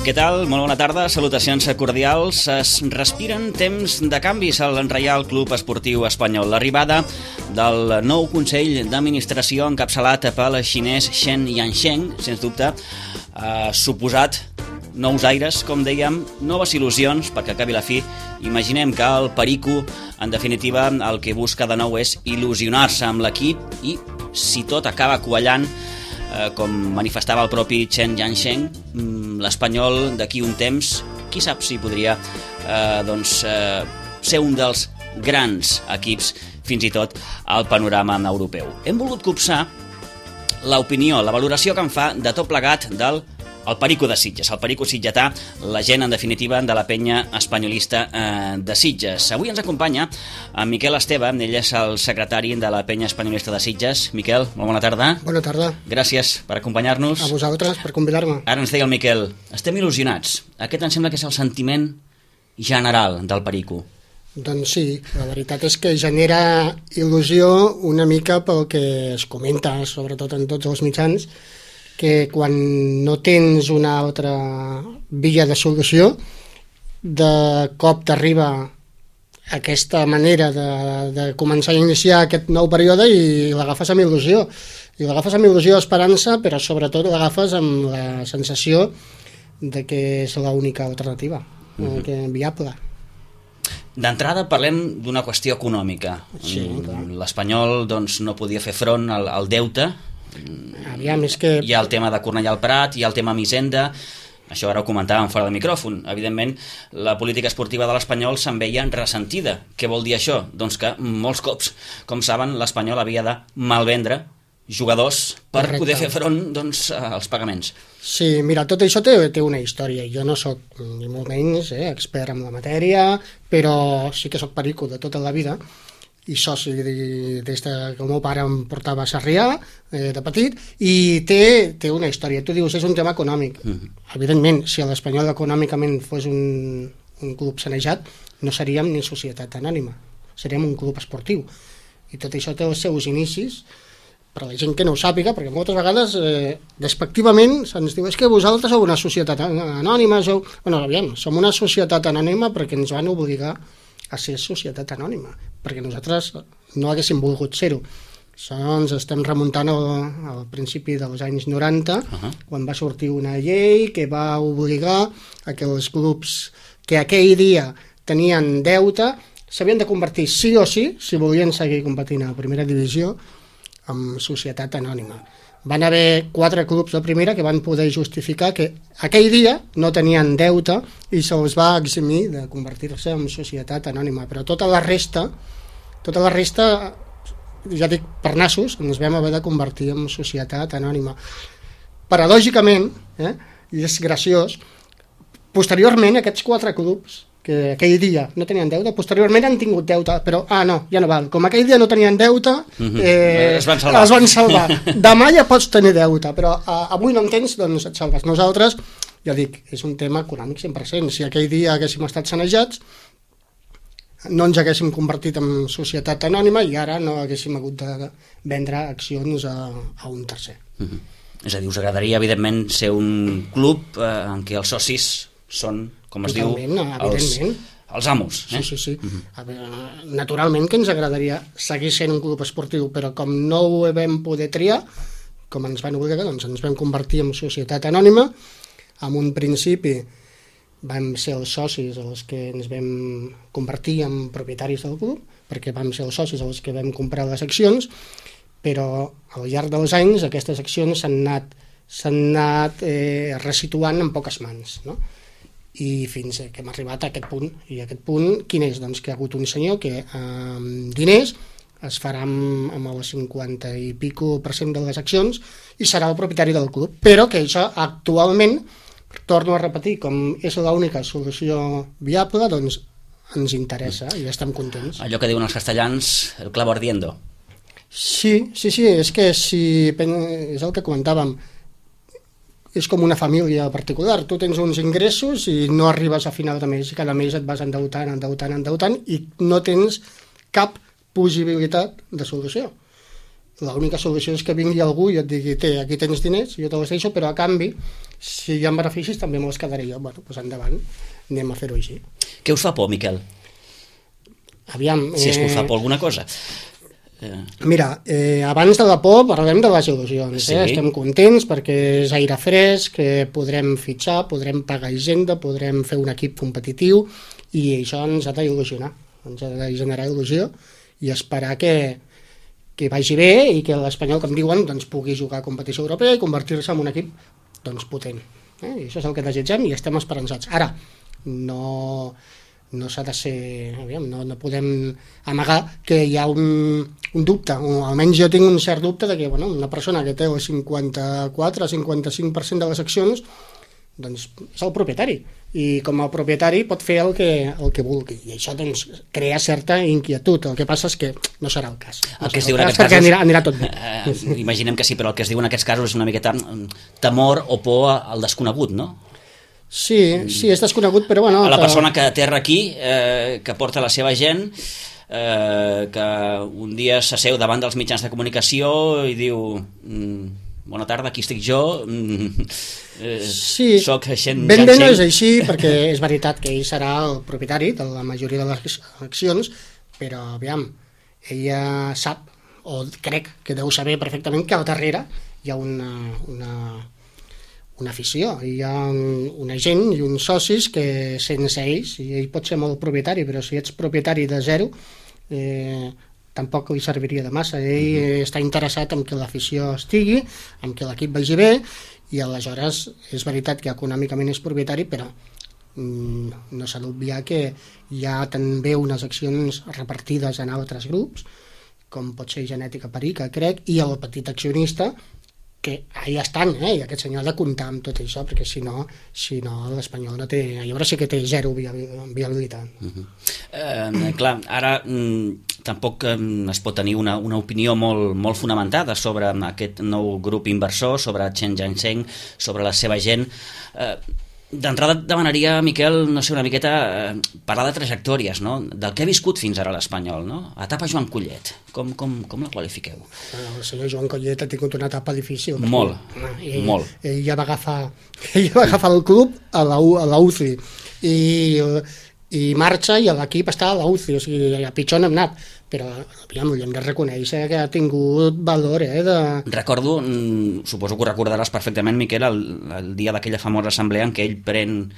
Què tal? Molt bona tarda, salutacions cordials. Es respiren temps de canvis al Reial Club Esportiu Espanyol. L'arribada del nou Consell d'Administració encapçalat pel xinès Shen Yansheng, sens dubte, ha suposat nous aires, com dèiem, noves il·lusions, perquè acabi la fi. Imaginem que el Perico, en definitiva, el que busca de nou és il·lusionar-se amb l'equip i, si tot acaba quallant, com manifestava el propi Shen Yansheng, l'Espanyol d'aquí un temps, qui sap si podria ser un dels grans equips, fins i tot al panorama europeu. Hem volgut copsar l'opinió, la valoració que en fa de tot plegat del Perico de Sitges, el Perico sitgetà, la gent, en definitiva, de la penya espanyolista de Sitges. Avui ens acompanya en Miquel Esteve, ell és el secretari de la penya espanyolista de Sitges. Miquel, molt bona tarda. Bona tarda. Gràcies per acompanyar-nos. A vosaltres per convidar-me. Ara ens deia el Miquel, estem il·lusionats. Aquest em sembla que és el sentiment general del Perico. Doncs sí, la veritat és que genera il·lusió una mica pel que es comenta, sobretot en tots els mitjans, que quan no tens una altra via de solució, de cop t'arriba aquesta manera de començar a iniciar aquest nou període i l'agafes amb il·lusió. I l'agafes amb il·lusió, esperança, però sobretot l'agafes amb la sensació de que és l'única alternativa viable. D'entrada parlem d'una qüestió econòmica. Sí, l'Espanyol no podia fer front al deute. Aviam, és que... Hi ha el tema de Cornellà al Prat, hi ha el tema Misenda, això ara ho comentàvem fora del micròfon. Evidentment, la política esportiva de l'Espanyol se'n veia ressentida. Què vol dir això? Doncs que molts cops, com saben, l'Espanyol havia de malvendre jugadors per poder fer front als pagaments. Sí, mira, tot això té una història. Jo no sóc ni molt menys expert en la matèria, però sí que sóc perico de tota la vida i soci des que el meu pare em portava a Sarrià de petit, i té una història. Tu dius, és un tema econòmic. Evidentment, si l'Espanyol econòmicament fos un club sanejat, no seríem ni societat anònima, seríem un club esportiu. I tot això té els seus inicis, per a la gent que no ho sàpiga, perquè moltes vegades despectivament se'ns diu és que vosaltres sou una societat anònima, som una societat anònima perquè ens van obligar a ser societat anònima, perquè nosaltres no haguéssim volgut ser-ho. Això ens estem remuntant al principi dels anys 90, quan va sortir una llei que va obligar a que els clubs que aquell dia tenien deute s'havien de convertir sí o sí, si volien seguir competint a la primera divisió, en societat anònima. Van haver 4 clubs de primera que van poder justificar que aquell dia no tenien deute i se'ls va eximir de convertir-se en societat anònima, però tota la resta, ja dic per nassos, ens vam haver de convertir en societat anònima. Paradògicament, i és graciós, posteriorment aquests 4 clubs que aquell dia no tenien deute, posteriorment han tingut deute, però ja no val. Com aquell dia no tenien deute, es van salvar. Demà ja pots tenir deute, però avui no en tens, doncs et salves. Nosaltres, ja dic, és un tema econòmic 100%. Si aquell dia haguéssim estat sanejats, no ens haguéssim convertit en societat anònima i ara no haguéssim hagut de vendre accions a un tercer. És a dir, us agradaria, evidentment, ser un club en què els socis són, com es diu, els amos. Sí. Naturalment que ens agradaria seguir sent un club esportiu, però com no ho vam poder triar, com ens van obligar, doncs ens vam convertir en societat anònima. En un principi vam ser els socis els que ens vam convertir en propietaris del club, perquè vam ser els socis els que vam comprar les accions, però al llarg dels anys aquestes accions s'han anat resituant en poques mans, no? I fins que hem arribat a aquest punt. I aquest punt, quin és? Doncs que hi ha hagut un senyor que amb diners es farà amb el 50 i pico % de les accions i serà el propietari del club, però que això actualment, torno a repetir, com és l'única solució viable, doncs ens interessa i estem contents. Allò que diuen els castellans, el clavo ardiendo. Sí, és que és el que comentàvem, és com una família particular. Tu tens uns ingressos i no arribes a final de mes i cada mes et vas endeutant i no tens cap possibilitat de solució. l'única solució és que vingui algú i et digui, aquí tens diners, jo te els deixo, però a canvi, si hi ha beneficis també me'ls quedaré jo. Bueno, doncs endavant, anem a fer-ho així. Què us fa por, Miquel? Aviam... Si és que us fa por alguna cosa. Mira, abans de la por parlem de les il·lusions. Sí. Estem contents perquè és aire fresc, que podrem fitxar, podrem pagar hisenda, podrem fer un equip competitiu i això ens ha d'il·lusionar, ens ha de generar il·lusió i esperar que vagi bé i que l'Espanyol, com diuen, doncs, pugui jugar a competició europea i convertir-se en un equip doncs, potent. I això és el que desitgem i estem esperançats. Ara, no s'ha de ser... Aviam, no podem amagar que hi ha un dubte, o almenys jo tinc un cert dubte de que una persona que té el 54-55% de les accions doncs és el propietari, i com a propietari pot fer el que vulgui, i això doncs crea certa inquietud. El que passa és que no serà el cas. El que es diu en aquests casos... Anirà tot bé. Imaginem que sí, però el que es diu en aquests casos és una miqueta temor o por al desconegut, no? Sí, és desconegut, però bueno... A la persona que aterra aquí, que porta la seva gent, que un dia s'asseu davant dels mitjans de comunicació i diu... Bona tarda, aquí estic jo, sí, soc gent... Ben bé no és així, perquè és veritat que ell serà el propietari de la majoria de les accions, però aviam, ella sap, o crec que deu saber perfectament, que al darrere hi ha una afició, hi ha una gent i uns socis que sense ells, i ell pot ser molt propietari, però si ets propietari de zero, tampoc li serviria de massa. Ell està interessat en que l'afició estigui, en que l'equip vagi bé, i aleshores és veritat que econòmicament és propietari, però no s'ha d'obviar que hi ha també unes accions repartides en altres grups, com pot ser Genètica Perica, crec, i el petit accionista, que allà estan, i aquest senyor ha de comptar amb tot això, perquè si no l'Espanyol no té... Llavors sí que té zero viabilitat. Clar, ara tampoc es pot tenir una opinió molt fonamentada sobre aquest nou grup inversor, sobre Chen Jiansheng, sobre la seva gent. D'entrada demanaria, Miquel, no sé, una miqueta parlar de trajectòries, no? Del que ha viscut fins ara l'Espanyol, no? Etapa Joan Collet, com la qualifiqueu? El senyor Joan Collet ha tingut una etapa difícil. Molt. Ell ja va agafar el club a la UCI i marxa i l'equip està a la UCI, o sigui, a pitjor n'hem anat, però aviam, hem de reconèixer que ha tingut valor. Recordo, suposo que ho recordaràs perfectament, Miquel, el dia d'aquella famosa assemblea en què ell pren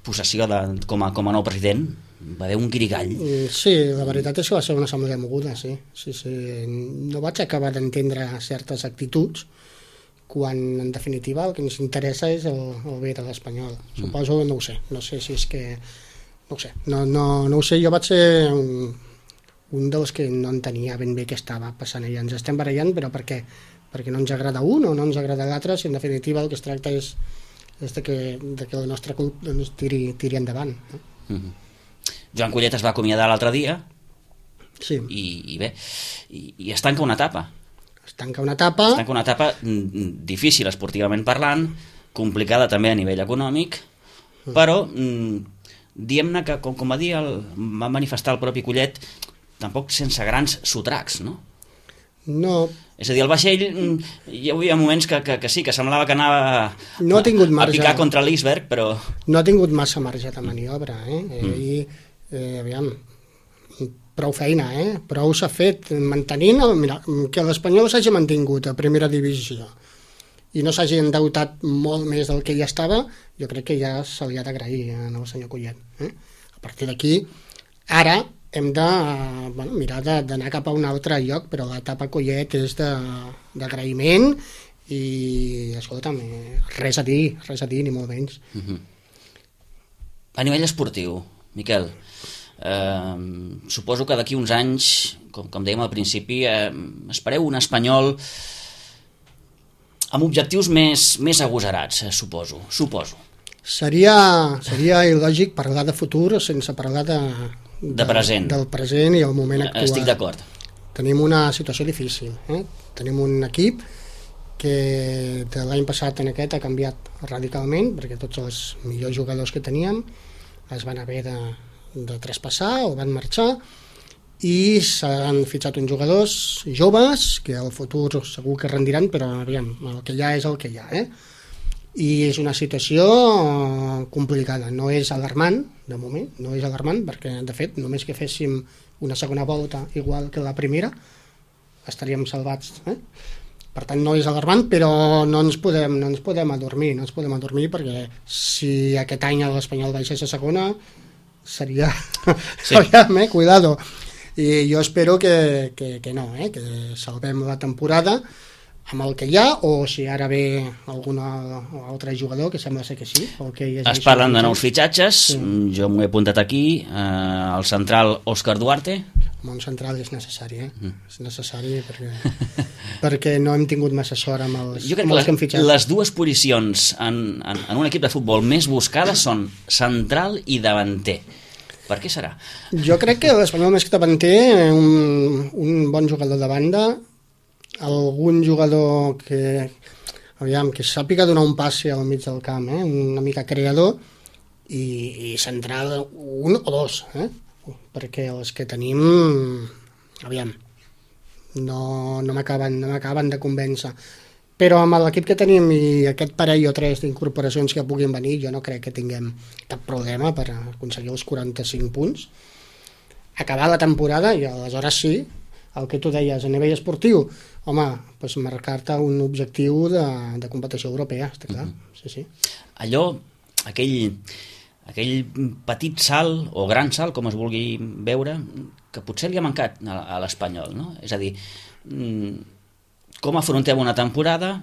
possessió com a nou president. Va haver un guirigall. Sí, la veritat és que va ser una assemblea moguda, sí. No vaig acabar d'entendre certes actituds, quan en definitiva el que ens interessa és el bé de l'Espanyol. Suposo, no ho sé si és que... No ho sé, no ho sé, jo vaig ser un dels que no entenia ben bé què estava passant allà. Ens estem barallant, però per què? Perquè no ens agrada un o no ens agrada l'altre, si en definitiva el que es tracta és de que el nostre club doncs, tiri endavant. No? Joan Collet es va acomiadar l'altre dia, sí. I bé, i es tanca una etapa. Es tanca una etapa difícil esportivament parlant, complicada també a nivell econòmic, però diguem-ne que, com va dir, va manifestar el propi Collet, tampoc sense grans sotracs, no? No. És a dir, el vaixell hi havia moments que sí, que semblava que anava a picar contra l'iceberg, però... No ha tingut massa marge de maniobra, aviam, prou feina, prou s'ha fet mantenint, mira, que l'Espanyol s'hagi mantingut a primera divisió i no s'hagi endeutat molt més del que ja estava, jo crec que ja se li ha d'agrair al senyor Collet. A partir d'aquí, ara hem de mirar d'anar cap a un altre lloc, però l'etapa Collet és d'agraïment i, escolta'm, res a dir, ni molt menys. A nivell esportiu, Miquel, suposo que d'aquí uns anys, com dèiem al principi, espereu un Espanyol amb objectius més agosarats, suposo. Seria il·lògic parlar de futur sense parlar de present. Del present i el moment actual. Estic d'acord. Tenim una situació difícil. Tenim un equip que de l'any passat en aquest ha canviat radicalment, perquè tots els millors jugadors que teníem es van haver de traspassar o van marxar, i s'han fitxat uns jugadors joves que al futur segur que rendiran, però aviam, el que hi ha és el que hi ha, i és una situació complicada, no és alarmant de moment, no és alarmant perquè de fet només que féssim una segona volta igual que la primera estaríem salvats, per tant no és alarmant, però no ens podem adormir perquè si aquest any l'Espanyol baixés a segona seria sí. Cuidado, i jo espero que no, que salvem la temporada amb el que hi ha, o si ara ve algun altre jugador, que sembla ser que sí. Es parlen de nous fitxatges, sí. Jo m'ho he apuntat aquí, el central Òscar Duarte. Un central és necessari, és necessari perquè no hem tingut massa sort amb els que hem fitxat. Les dues posicions en un equip de futbol més buscades són central i davanter. Per què serà? Jo crec que l'Espanyol més que davanter, un bon jugador de banda, algun jugador que sàpiga donar un passe al mig del camp, una mica creador, i central un o dos, perquè els que tenim no m'acaben de convèncer, però amb l'equip que tenim i aquest parell o tres d'incorporacions que puguin venir, jo no crec que tinguem cap problema per aconseguir els 45 punts, acabar la temporada i aleshores sí, el que tu deies a nivell esportiu, home, doncs marcar-te un objectiu de competició europea, està clar. Sí. Allò, aquell petit salt o gran salt, com es vulgui veure, que potser li ha mancat a l'Espanyol, no? És a dir, com afrontem una temporada,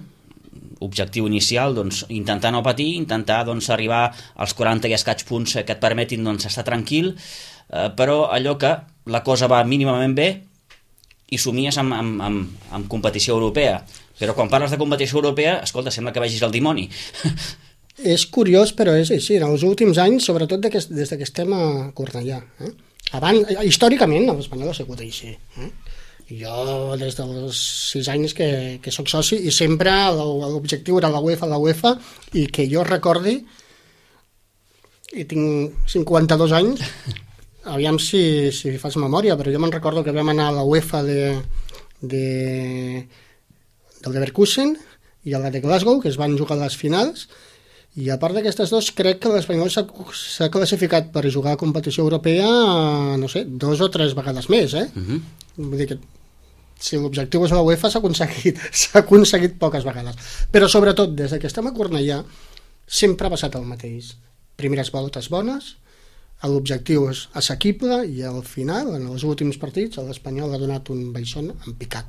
objectiu inicial, doncs, intentar no patir, intentar doncs, arribar als 40 i escaig punts que et permetin doncs, estar tranquil, però allò que la cosa va mínimament bé i somies amb competició europea. Però quan parles de competició europea, escolta, sembla que vegis el dimoni. És curiós, però és així. En els últims anys, sobretot des que estem a Cornellà. Abans, històricament, l'Espanyol ha sigut així. Jo, des dels 6 anys que soc soci, i sempre l'objectiu era la UEFA, i que jo recordi, i tinc 52 anys, aviam si fas memòria, però jo me'n recordo que vam anar a la UEFA del Leverkusen i a la de Glasgow, que es van jugar a les finals, i a part d'aquestes dos crec que l'Espanyol s'ha classificat per jugar a competició europea, no sé, 2 o 3 vegades més, Vull dir que si l'objectiu és la UEFA s'ha aconseguit poques vegades, però sobretot des que estem a Cornellà sempre ha passat el mateix, primeres voltes bones, l'objectiu és assequible i al final, en els últims partits, l'Espanyol ha donat un baixón en picat.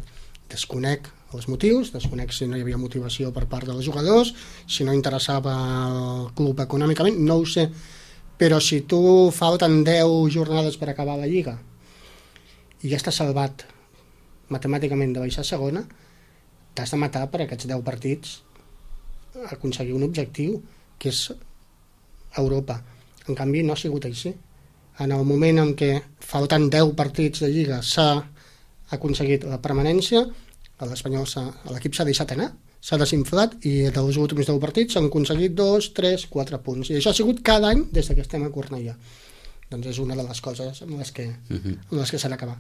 Desconec els motius, desconec si no hi havia motivació per part dels jugadors, si no interessava el club econòmicament, no ho sé, però si tu falten 10 jornades per acabar la Lliga i ja estàs salvat matemàticament de baixar a segona, t'has de matar per aquests 10 partits aconseguir un objectiu que és Europa. En canvi no ha sigut així. En el moment en què faltant 10 partits de Lliga s'ha aconseguit la permanència, l'equip s'ha deixat anar, s'ha desinflat, i dels últims 10 partits s'han aconseguit 2, 3, 4 punts, i això ha sigut cada any des que estem a Cornellà. Doncs és una de les coses amb les que s'ha d'acabar.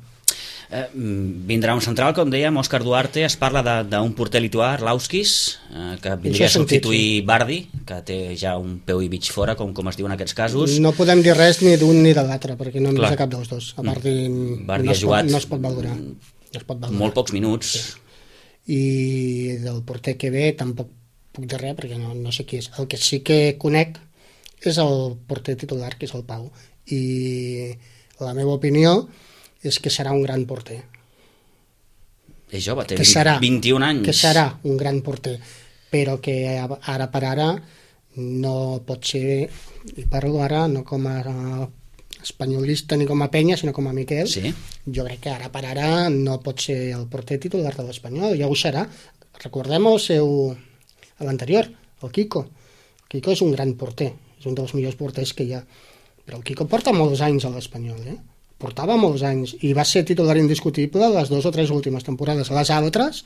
Vindrà un central, com dèiem, Òscar Duarte. Es parla d'un porter lituà, Arlauskis, que vindria a substituir Bardi, que té ja un peu i mig fora, com es diu en aquests casos. No podem dir res ni d'un ni de l'altre, perquè no hem vist cap dels dos. A Bardi no es pot valorar. Molt pocs minuts. I del porter que ve tampoc puc dir res, perquè no sé qui és. El que sí que conec és el porter titular, que és el Pau. I la meva opinió és que serà un gran porter. És jove, té 21 anys. Que serà un gran porter, però que ara per ara no pot ser, i parlo ara no com a espanyolista ni com a penya, sinó com a Miquel. Sí. Jo crec que ara per ara no pot ser el porter titular de l'Espanyol, ja ho serà. Recordem l'anterior, el Kiko. El Kiko és un gran porter, és un dels millors porters que hi ha, però el Kiko porta molts anys a l'Espanyol, portava molts anys, i va ser titular indiscutible les 2 o 3 últimes temporades. Les altres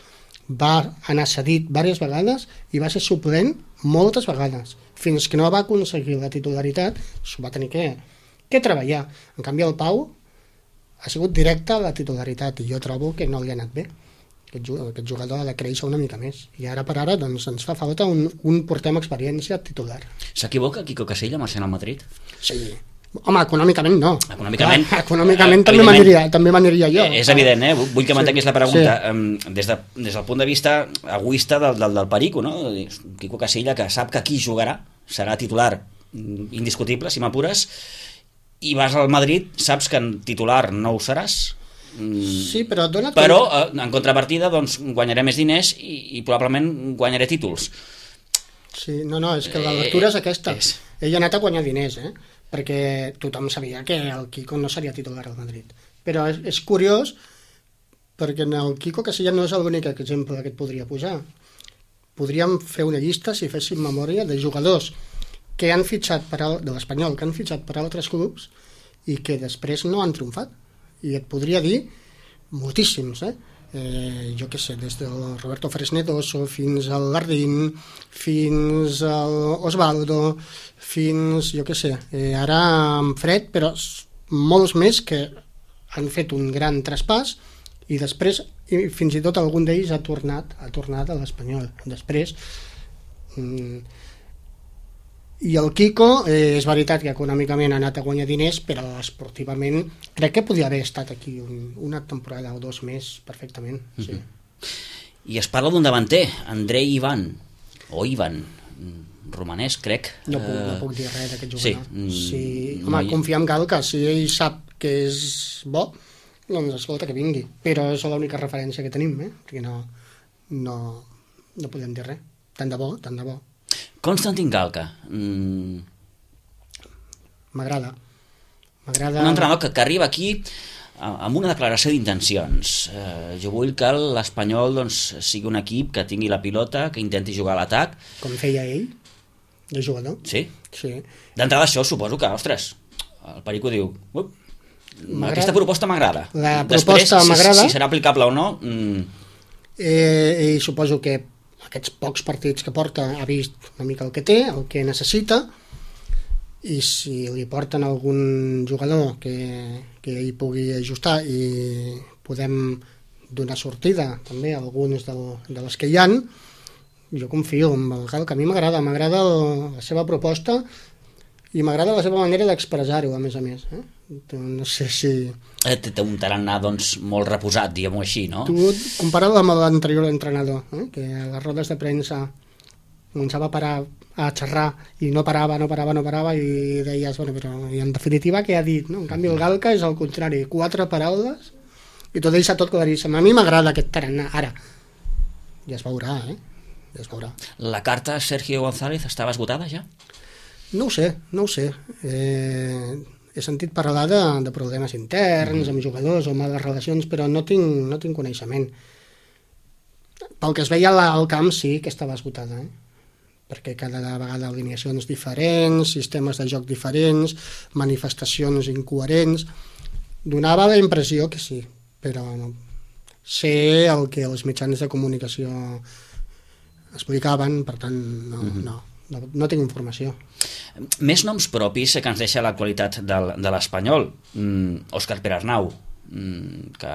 va anar cedit diverses vegades i va ser suplent moltes vegades, fins que no va aconseguir la titularitat, s'ho va tenir que treballar. En canvi el Pau ha sigut directa la titularitat, i jo trobo que no li ha anat bé. Aquest jugador ha de créixer una mica més, i ara per ara doncs, ens fa falta un porter amb experiència titular. S'equivoca Quico Casella marxant al Madrid? Sí. Home, econòmicament no. Econòmicament també m'aniria jo. És evident, vull que mantenguis la pregunta. Sí. Des del punt de vista egoista del Perico, no? Quico Casella, que sap que aquí jugarà, serà titular indiscutible, si m'apures, i vas al Madrid, saps que en titular no ho seràs. Sí, però en contrapartida doncs, guanyaré més diners i probablement guanyaré títols. Sí, no, és que la lectura és aquesta. Ell ha anat a guanyar diners, perquè tothom sabia que el Quico no seria titular al Madrid. Però és curiós, perquè el Quico Casella no és l'únic exemple que et podria posar. Podríem fer una llista, si féssim memòria, de jugadors que han fitxat de l'Espanyol, que han fitxat per altres clubs i que després no han triomfat. I et podria dir moltíssims, jo què sé, des del Roberto Fresnedoso fins al Gardín, fins al Osvaldo, fins, jo què sé, ara en Fred, però molts més que han fet un gran traspàs i després, fins i tot algun d'ells ha tornat a l'Espanyol. Després, i el Quico, és veritat que econòmicament ha anat a guanyar diners, però esportivament crec que podria haver estat aquí una temporada o dos més perfectament. Sí. I es parla d'un davanter, Andrei Ivan romanès, crec. No puc dir res d'aquest jugador. Sí. Home, confia en Gal, que si ell sap que és bo, doncs escolta, que vingui, però és l'única referència que tenim, perquè no podem dir res. Tant de bo. Konstantin Galka. M'agrada. Un entrenador que arriba aquí amb una declaració d'intencions. Jo vull que l'Espanyol sigui un equip que tingui la pilota, que intenti jugar a l'atac. Com feia ell, de jugador. Sí. D'entrada això suposo que, ostres, el Perico diu aquesta proposta m'agrada. La proposta m'agrada. Si serà aplicable o no... I suposo que aquests pocs partits que porta ha vist una mica el que té, el que necessita, i si li porten algun jugador que hi pugui ajustar i podem donar sortida també a alguns de les que hi han, jo confio en el Gal, que a mi m'agrada la seva proposta i m'agrada la seva manera d'expressar-ho, a més. No sé si... Té un tarannà, molt reposat, diguem-ho així, no? Tu compara-ho amb l'anterior entrenador, que a les rodes de premsa començava a parar a xerrar i no parava i deies, però i en definitiva què ha dit, no? En canvi el Galka és al contrari, 4 paraules i t'ho deixa tot claríssim. A mi m'agrada aquest tarannà, ara ja es veurà, La carta Sergio González estava esgotada ja? No ho sé. He sentit parlar de problemes interns amb jugadors o males relacions, però no tinc coneixement. Pel que es veia al camp sí que estava esgotada, perquè cada vegada alineacions diferents, sistemes de joc diferents, manifestacions incoherents. Donava la impressió que sí, però no. Sé el que els mitjans de comunicació explicaven, per tant no tinc informació. Més noms propis que ens deixa l'actualitat de l'Espanyol. Òscar Perarnau, que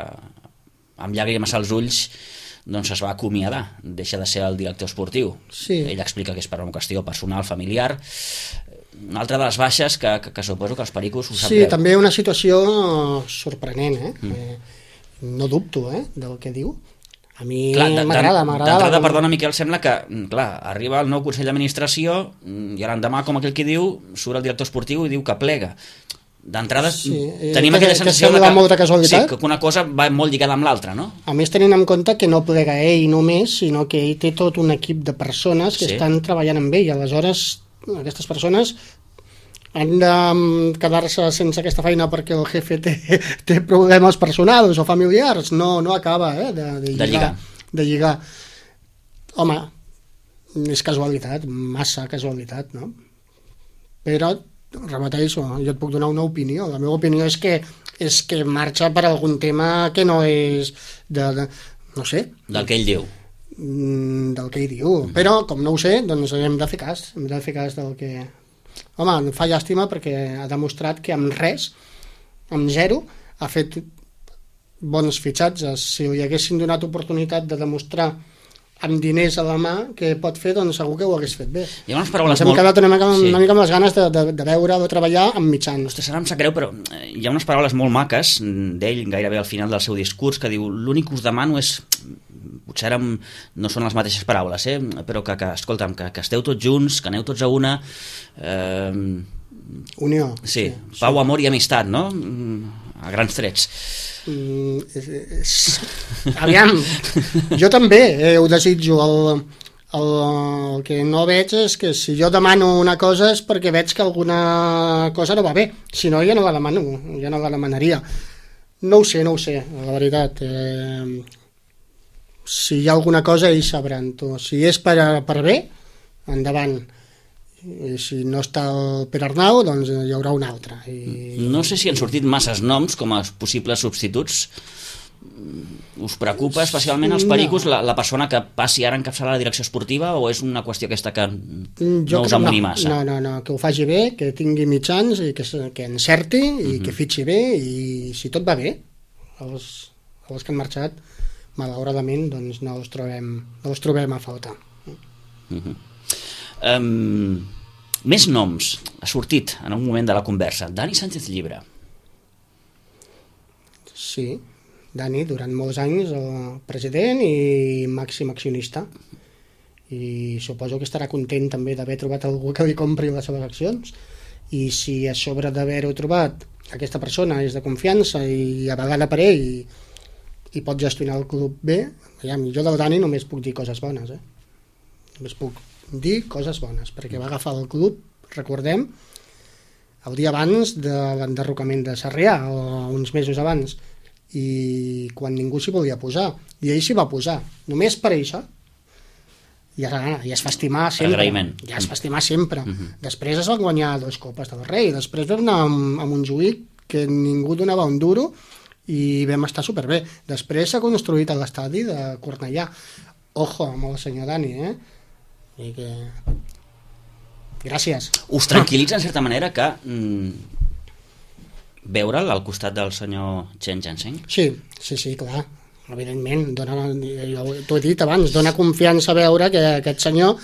amb llàgrimes als ulls es va acomiadar, deixa de ser el director esportiu. Sí. Ell explica que és per una qüestió personal, familiar. Una altra de les baixes que suposo que els pericos ho sap greu. Sí, també una situació sorprenent, no dubto del que diu. A mi m'agrada. D'entrada, perdona, Miquel, sembla que arriba el nou Consell d'Administració i l'endemà, com aquell que diu, surt el director esportiu i diu que plega. D'entrada, tenim aquella sensació que una cosa va molt lligada amb l'altra, no? A més, tenint en compte que no plega ell només, sinó que ell té tot un equip de persones que estan treballant amb ell. Aleshores, aquestes persones han de quedar-se sense aquesta feina perquè el jefe té problemes personals o familiars. No acaba de lligar. Home, és casualitat, massa casualitat, no? Però, repeteixo, jo et puc donar una opinió. La meva opinió és que marxa per algun tema que no és no sé. Del que ell diu. Del que ell diu. Però, com no ho sé, doncs hem de fer cas. Hem de fer cas del que... Home, em fa llàstima perquè ha demostrat que amb res, amb zero, ha fet bons fitxatges. Si li haguessin donat oportunitat de demostrar amb diners a la mà que pot fer, doncs segur que ho hagués fet bé. Hi ha unes paraules Ens hem quedat una mica amb les ganes de veure, de treballar amb mitjans. Ostres, ara em sap greu, però hi ha unes paraules molt maques d'ell, gairebé al final del seu discurs, que diu, l'únic que us demano és, potser ara no són les mateixes paraules, però que escolta'm, que esteu tots junts, que aneu tots a una... Unió. Sí, pau, amor i amistat, no? A grans trets. Aviam, jo també ho desitjo. El que no veig és que si jo demano una cosa és perquè veig que alguna cosa no va bé, si no ja no la demano, ja no la demanaria. No ho sé, la veritat. Si hi ha alguna cosa ells sabran. Si és per bé, endavant. I si no està el Pere Arnau, doncs hi haurà un altre. No sé si han sortit masses noms com a possibles substituts. Us preocupa especialment els pericos la persona que passi ara a encapçalar la direcció esportiva, o és una qüestió aquesta que no us amoni massa? No, que ho faci bé, que tingui mitjans i que encerti i que fitxi bé, i si tot va bé, els que han marxat, malauradament, doncs no els trobem a falta. Més noms. Ha sortit en un moment de la conversa Dani Sánchez Llibre. Sí, Dani durant molts anys el president i màxim accionista, i suposo que estarà content també d'haver trobat algú que li compri les seves accions, i si a sobre d'haver-ho trobat aquesta persona és de confiança i avegada per ell i pot gestionar el club bé, jo del Dani només puc dir coses bones, només puc dir coses bones, perquè va agafar el club, recordem, el dia abans de l'enderrocament de Sarrià, o uns mesos abans, i quan ningú s'hi volia posar, i ell s'hi va posar, només per això, i es fa estimar sempre. Agraïment. Ja es fa estimar sempre. Després es van guanyar 2 copes del Rei, després vam anar amb un Montjuïc que ningú donava un duro i vam estar superbé. Després s'ha construït a l'estadi de Cornellà. Ojo amb el senyor Dani, i que... Gràcies. Us tranquil·litza en certa manera que veure'l al costat del senyor Chen Jiansheng? Sí, clar, evidentment. T'ho he dit abans, dona confiança veure que aquest senyor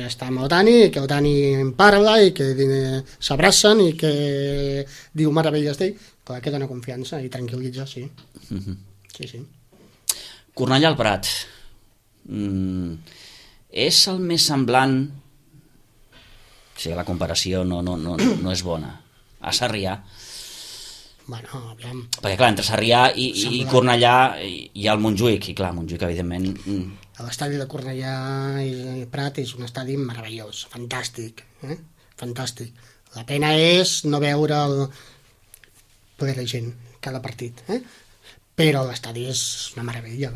està amb el Dani, que el Dani en parla i que s'abracen i que diu meravelles d'ell. Clar que dona confiança i tranquil·litza, sí. Sí. Cornellà al Prat. És el més semblant, si la comparació no és bona, a Sarrià? Bueno, aviam. Perquè clar, entre Sarrià i Cornellà hi ha el Montjuïc, i clar, Montjuïc evidentment... L'estadi de Cornellà i Prat és un estadi meravellós, fantàstic, fantàstic. La pena és no veure ple de gent cada partit, però l'estadi és una meravella,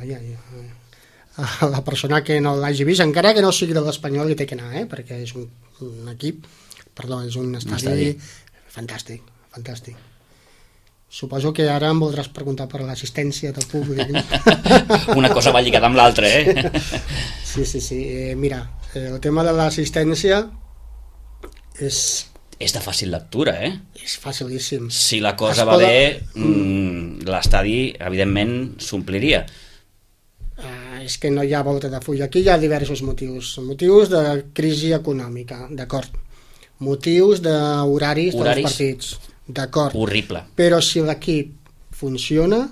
la persona que no l'hagi vist, encara que no sigui de l'Espanyol, hi té que anar, perquè és un equip, és un estadi fantàstic. Suposo que ara em voldràs preguntar per l'assistència del públic. Una cosa va lligada amb l'altra, Sí. Mira, el tema de l'assistència és... És de fàcil lectura, És facilíssim. Si la cosa va bé, l'estadi, evidentment, s'ompliria. És que no hi ha volta de full. Aquí hi ha diversos motius. Motius de crisi econòmica, d'acord. Motius d'horaris dels partits, d'acord. Horrible. Però si l'equip funciona,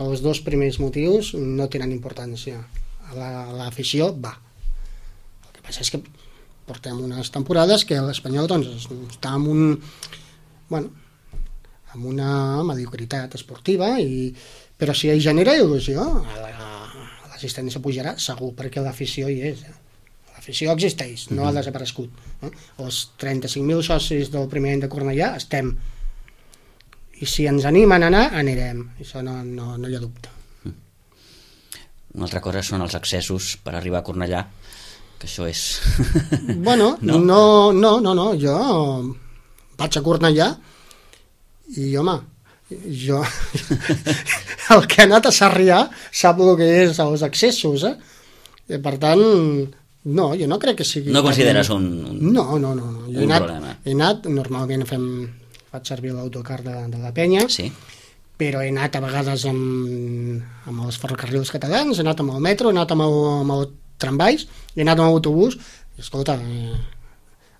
els 2 primers motius no tenen importància. L'afició va. El que passa és que portem unes temporades que l'Espanyol està amb una mediocritat esportiva, però si hi genera il·lusió, l'assistència pujarà segur, perquè l'afició hi és. L'afició existeix, no ha desaparegut. Els 35.000 socis del primer any de Cornellà estem. I si ens animen a anar, anirem. Això no hi ha dubte. Una altra cosa són els accessos per arribar a Cornellà, que això és... Bueno, no. Jo vaig a Cornellà i, home, jo el que ha anat a Sarrià sap el que és els accessos, per tant, no, jo no crec que sigui... No consideres un no. problema? He anat, normalment faig servir l'autocar de la penya, Sí. però he anat a vegades amb els ferrocarrils catalans, he anat amb el metro, he anat amb el tramvais, he anat amb l'autobús, i escolta,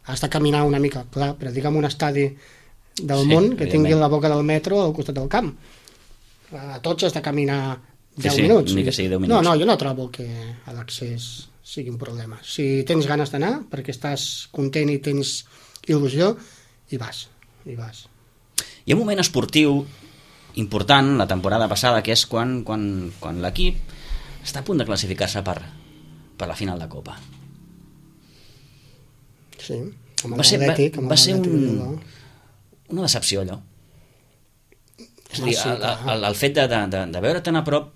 has de caminar una mica, clar, però digue'm un estadi del món que tingui la boca del metro al costat del camp. A tots has de caminar 10 minuts. Ni que sigui 10 minuts. No, jo no trobo que l'accés sigui un problema. Si tens ganes d'anar, perquè estàs content i tens il·lusió, hi vas. Hi ha un moment esportiu important la temporada passada, que és quan l'equip està a punt de classificar-se per la final de Copa. Sí, amb l'Atlètic. Va ser una decepció, allò. És a dir, el fet de veure tan a prop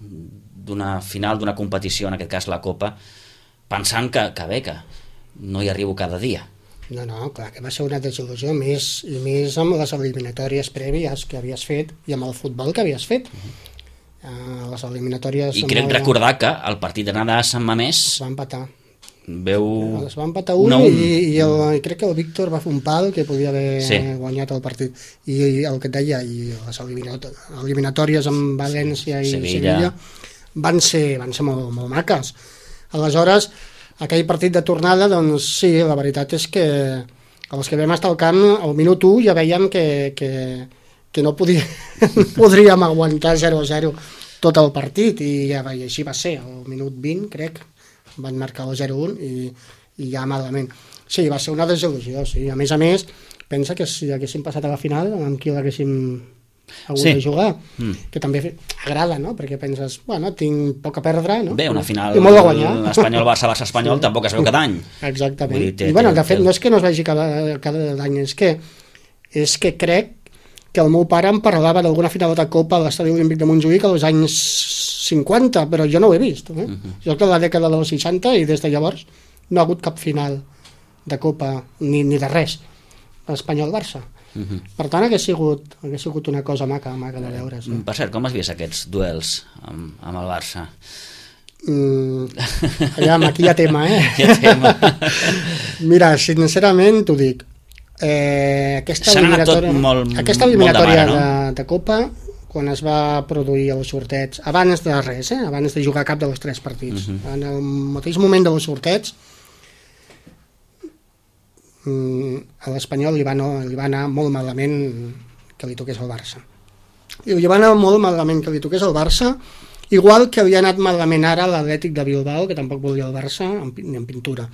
d'una final, d'una competició, en aquest cas la Copa, pensant que bé, que no hi arribo cada dia. No, clar, que va ser una desil·lusió, i més amb les eliminatòries prèvies que havies fet i amb el futbol que havies fet. Les eliminatòries... I crec recordar que el partit d'anada a Sant Mamés... Es va empatar. Es va empatar 1 i crec que el Víctor va fer un pal que podia haver guanyat el partit. I el que et deia, i les eliminatòries amb València i Sevilla van ser molt maques. Aleshores, aquell partit de tornada, doncs sí, la veritat és que els que vam estar al camp, al minut 1 ja veiem que no podríem aguantar 0-0 tot el partit, i així va ser. Al minut 20, crec, van marcar el 0-1 i ja malament. Sí, va ser una desil·lusió, sí. A més, pensa que si haguéssim passat a la final, amb qui l'haguéssim hagut de jugar, que també agrada, no? Perquè penses, bueno, tinc poc a perdre, no? Bé, una final Espanyol-Barça-Barça-Espanyol tampoc es veu cada any. Exactament. I bueno, de fet, no és que no es vegi cada any, és que crec que el meu pare em parlava d'alguna final de Copa a l'Estadi Olímpic de Montjuïc als anys 50, però jo no ho he vist. Jo soc de la dècada dels 60 i des de llavors no ha hagut cap final de Copa ni de res. Espanyol-Barça. Per tant, hagués sigut una cosa maca de veure. Sí. Per cert, com has vist aquests duels amb el Barça? Aquí hi ha tema, Mira, sincerament t'ho dic, aquesta eliminatòria de Copa, quan es va produir el sorteig, abans de res, abans de jugar cap dels 3 partits, en el mateix moment del sorteig, a l'Espanyol li va anar molt malament que li toqués el Barça. I li va anar molt malament que li toqués el Barça, igual que li ha anat malament ara a l'Atlètic de Bilbao, que tampoc volia el Barça ni en pintura.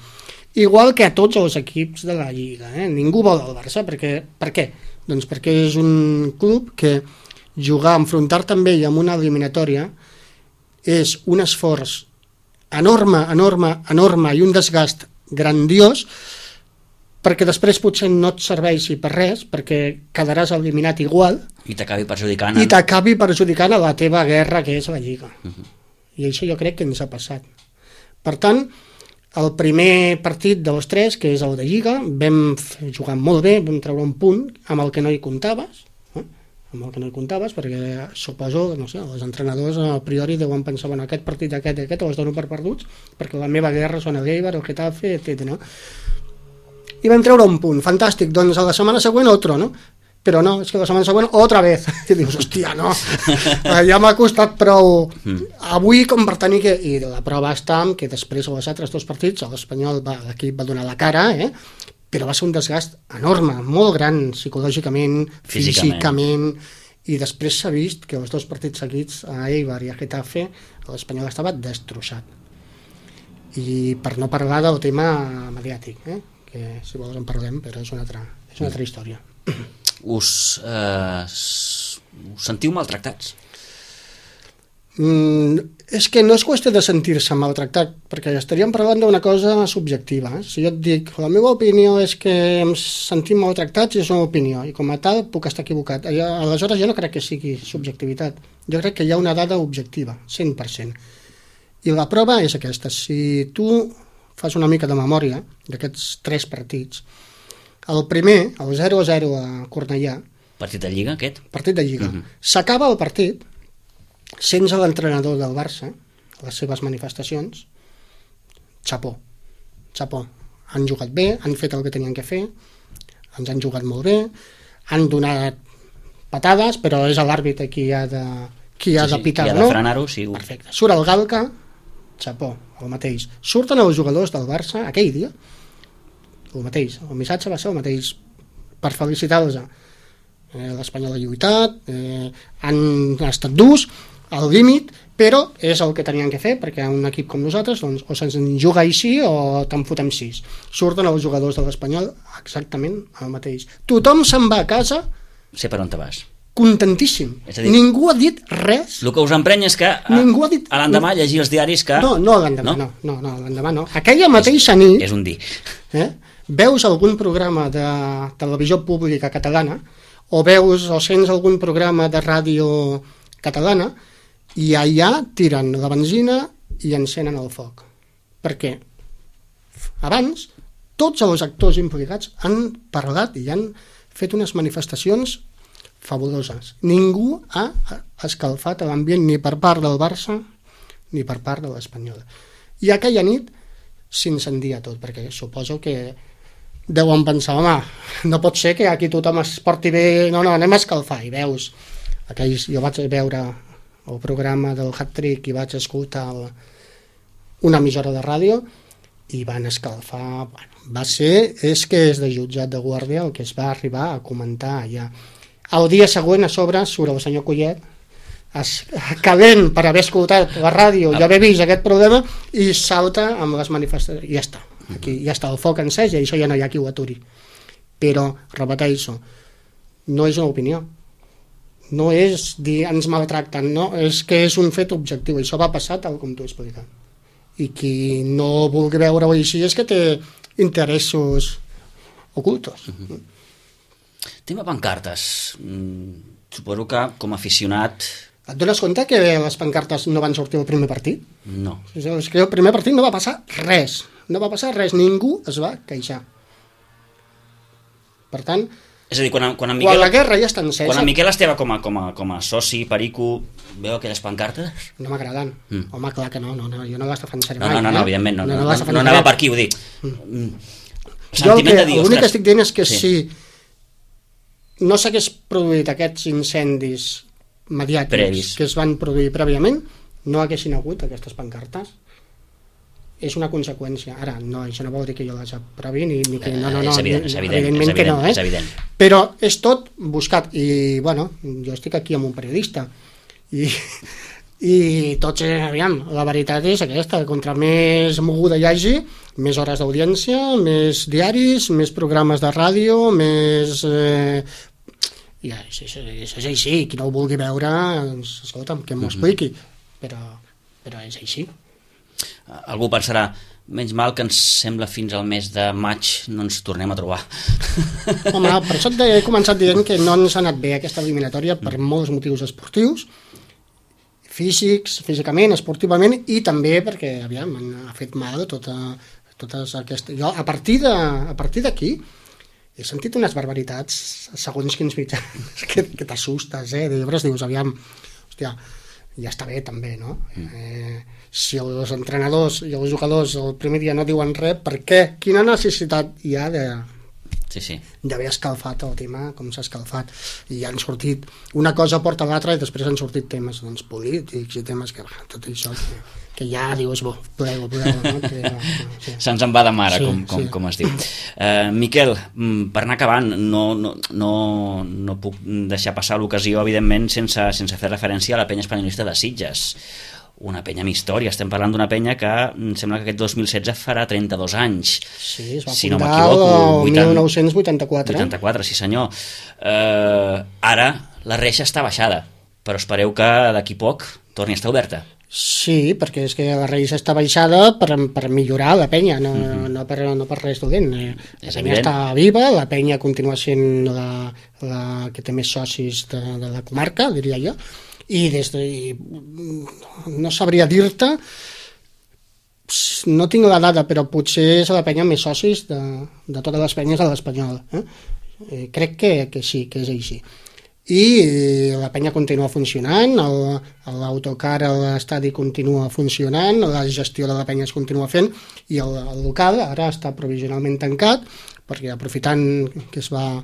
Igual que a tots els equips de la Lliga. Ningú vol el Barça. Per què? Doncs perquè és un club que enfrontar-te amb ell en una eliminatòria és un esforç enorme i un desgast grandiós, perquè després potser no et serveixi per res, perquè quedaràs eliminat igual i t'acabi perjudicant a la teva guerra, que és la Lliga. I això jo crec que ens ha passat. Per tant, el primer partit dels 3, que és el de Lliga, vam jugar molt bé, vam treure un punt amb el que no hi comptaves, perquè suposo, no sé, els entrenadors a priori deuen pensar, bueno, aquest partit, aquest, els dono per perduts, perquè la meva guerra són el Eibar, el Getafe, etc. I vam treure un punt, fantàstic, doncs a la setmana següent otro, no? Però no, és que la setmana següent otra vez. I dius, hòstia, no, ja m'ha costat prou avui com per tenir que... I la prova està en que després als altres 2 partits l'Espanyol, l'equip va donar la cara, però va ser un desgast enorme, molt gran, psicològicament, físicament, i després s'ha vist que els 2 partits seguits, a Eibar i a Getafe, l'Espanyol estava destrossat. I per no parlar del tema mediàtic, que si vols en parlem, però és una altra història. Us sentiu maltractats? És que no és qüestió de sentir-se maltractat, perquè estaríem parlant d'una cosa subjectiva. Si jo et dic, la meva opinió és que ens sentim maltractats, és una opinió, i com a tal puc estar equivocat. Aleshores jo no crec que sigui subjectivitat, jo crec que hi ha una dada objectiva, 100%. I la prova és aquesta. Si tu fas una mica de memòria d'aquests 3 partits, el primer, el 0-0 a Cornellà, partit de Lliga, aquest? Partit de Lliga. S'acaba el partit sense l'entrenador del Barça, les seves manifestacions. Chapó. Han jugat bé, han fet el que tenien que fer, ens han jugat molt bé, han donat patades, però és l'àrbitre qui ha de pitar, qui ha de frenar-ho, sí. Perfecte. Surt el Galca, xapó, el mateix. Surten els jugadors del Barça aquell dia, el mateix. El missatge va ser el mateix per felicitar-los. L'Espanyol ha lluitat, han estat durs, al límit, però és el que tenien que fer, perquè un equip com nosaltres doncs, o se'ns juga així o te'n fotem 6. Surten els jugadors de l'Espanyol exactament el mateix. Tothom se'n va a casa, sé per on te vas. Contentíssim. És a dir, ningú ha dit res. El que us emprenya és que ningú ha dit, a l'endemà llegir els diaris que... No, l'endemà no, l'endemà no. Aquella mateixa nit... És un dir. Veus algun programa de televisió pública catalana o sents algun programa de ràdio catalana i allà tiren la benzina i encenen el foc. Perquè abans tots els actors implicats han parlat i han fet unes manifestacions fabuloses. Ningú ha escalfat l'ambient ni per part del Barça ni per part de l'Espanyol. I aquella nit s'incendia tot, perquè suposo que deuen pensar, home, no pot ser que aquí tothom es porti bé, no, anem a escalfar. I veus, jo vaig veure el programa del Hat-Trick i vaig escoltar una emissora de ràdio i van escalfar. És que és de jutjat de guàrdia el que es va arribar a comentar allà. El dia següent a sobre surt el senyor Collet calent per haver escoltat la ràdio i haver vist aquest problema i salta amb les manifestacions i ja està, aquí ja està el foc encès i això ja no hi ha qui ho aturi. Però, repeteixo, no és una opinió, no és dir ens maltracten, no, és que és un fet objectiu, això va passar tal com t'ho he explicat, i qui no vulgui veure-ho així és que té interessos ocultos. Tema pancartes, suposo que com a aficionat... Et dones compte que les pancartes no van sortir al primer partit? No. És que el primer partit no va passar res, ningú es va queixar. Per tant, és a dir, quan en Miquel, la guerra ja està encesa... Quan en Miquel Esteve com a soci, perico, veu aquelles pancartes? No m'agraden. Home, clar que no, jo no les defensaré mai. No, evidentment, no anava per aquí, ho dic. Jo l'únic que estic dient és que si no s'hagués produït aquests incendis mediàtics que es van produir prèviament, no haguessin hagut aquestes pancartes. És una conseqüència. Ara, no, això no vol dir que jo les aprovi ni que... No, és evidentment que no, és evident. Però és tot buscat. I, bueno, jo estic aquí amb un periodista i tots, aviam, la veritat és aquesta, contra més moguda hi hagi, més hores d'audiència, més diaris, més programes de ràdio, més... Ja, és així, qui no ho vulgui veure, doncs, escolta'm, que m'ho expliqui, però és així. Algú pensarà, menys mal que ens sembla fins al mes de maig no ens tornem a trobar. Home, per això he començat dient que no ens ha anat bé aquesta eliminatòria per molts motius esportius, físicament, esportivament, i també perquè, aviam, ha fet mal totes aquestes... Jo, a partir d'aquí, he sentit unes barbaritats segons quins mitjans que t'assustes, llavors dius, aviam, hòstia, ja està bé també, no? Si els entrenadors i els jugadors el primer dia no diuen res, per què? Quina necessitat hi ha d'haver escalfat el tema com s'ha escalfat? I han sortit, una cosa porta l'altra i després han sortit temes polítics i temes que tot això que ja dius, plego, no? Se'ns en va de mare, com es diu. Miquel, per anar acabant, no puc deixar passar l'ocasió, evidentment, sense fer referència a la penya espanyolista de Sitges. Una penya amb història, estem parlant d'una penya que sembla que aquest 2016 farà 32 anys. Sí, es va fundar el 1984. 84, sí senyor. Ara la reixa està baixada, però espereu que d'aquí poc torni a estar oberta. Sí, perquè és que la reixa està baixada per millorar la penya, no per res dolent. La penya està viva, la penya continua sent la que té més socis de la comarca, diria jo, i no sabria dir-te, no tinc la dada, però potser és la penya amb més socis de totes les penyes de l'Espanyol. Crec que sí, que és així. I la penya continua funcionant, l'autocar a l'estadi continua funcionant, la gestió de la penya es continua fent, i el local ara està provisionalment tancat, perquè aprofitant que es va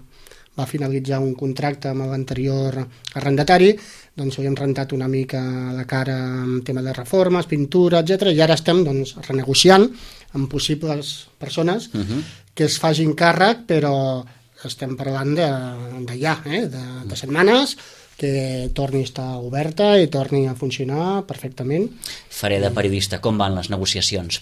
va finalitzar un contracte amb l'anterior arrendatari, doncs havíem rentat una mica la cara amb tema de reformes, pintura, etc. I ara estem doncs, renegociant amb possibles persones que es facin càrrec, però estem parlant de ja, de setmanes, que torni a estar oberta i torni a funcionar perfectament. Faré de periodista. Com van les negociacions?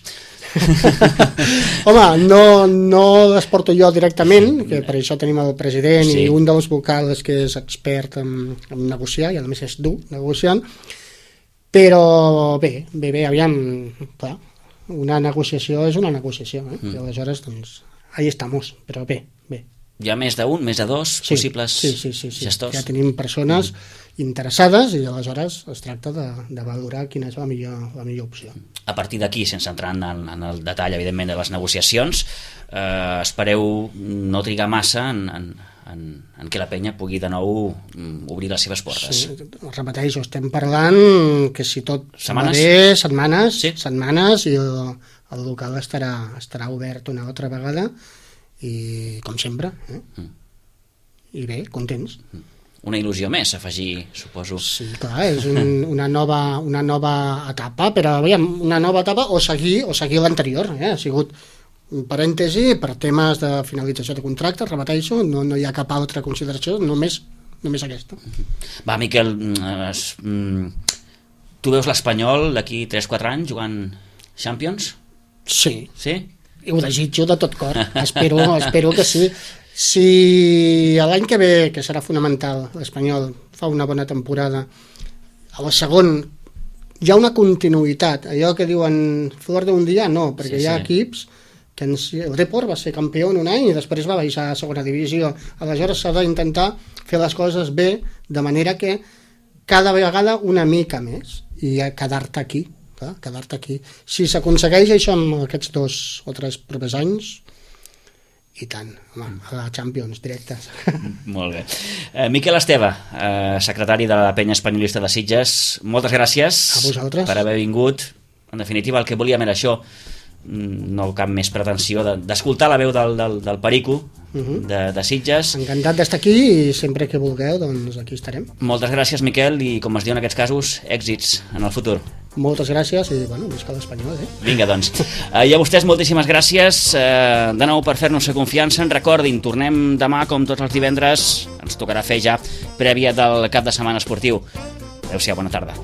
Home, no les porto jo directament, que per això tenim el president i un dels vocals que és expert en negociar, i a més és dur negociant, però bé, aviam, clar, una negociació és una negociació, i aleshores, doncs, ahí estamos, però bé. Hi ha més d'un, més de dos possibles gestors? Ja tenim persones interessades i aleshores es tracta de valorar quina és la millor opció. A partir d'aquí, sense entrar en el detall, evidentment, de les negociacions, espereu no trigar massa en què la penya pugui de nou obrir les seves portes. Sí, repeteixo, estem parlant que si tot va bé, setmanes, i el local estarà obert una altra vegada, i com sempre, i bé, contents. Una il·lusió més, afegir, suposo. Sí, clar, és una nova etapa, però aviam, una nova etapa o seguir l'anterior, ha sigut un parèntesi per temes de finalització de contracte, repeteixo, no hi ha cap altra consideració, només aquesta. Va, Miquel, tu veus l'Espanyol d'aquí 3-4 anys jugant Champions? Sí. Sí? I ho desitjo de tot cor, espero que sí. Si l'any que ve, que serà fonamental, l'Espanyol fa una bona temporada, a la segon hi ha una continuïtat, allò que diuen flor d'un dia, no, perquè hi ha equips que el Depor va ser campió en un any i després va baixar a segona divisió, aleshores s'ha d'intentar fer les coses bé, de manera que cada vegada una mica més i quedar-te aquí. Si s'aconsegueix això amb aquests 2 o 3 propers anys, i tant, home, a la Champions directes. Molt bé. Miquel Esteve, secretari de la Penya Espanyolista de Sitges, moltes gràcies per haver vingut. En definitiva, el que volíem era això, no cap més pretensió d'escoltar la veu del Perico de Sitges. Encantat d'estar aquí i sempre que vulgueu, doncs aquí estarem. Moltes gràcies, Miquel, i com es diu en aquests casos, èxits en el futur. Moltes gràcies i, bueno, visca l'Espanyol, Vinga, doncs. I a vostès moltíssimes gràcies de nou per fer-nos confiança. Recordin, tornem demà com tots els divendres. Ens tocarà fer ja prèvia del cap de setmana esportiu. Adéu-siau, bona tarda.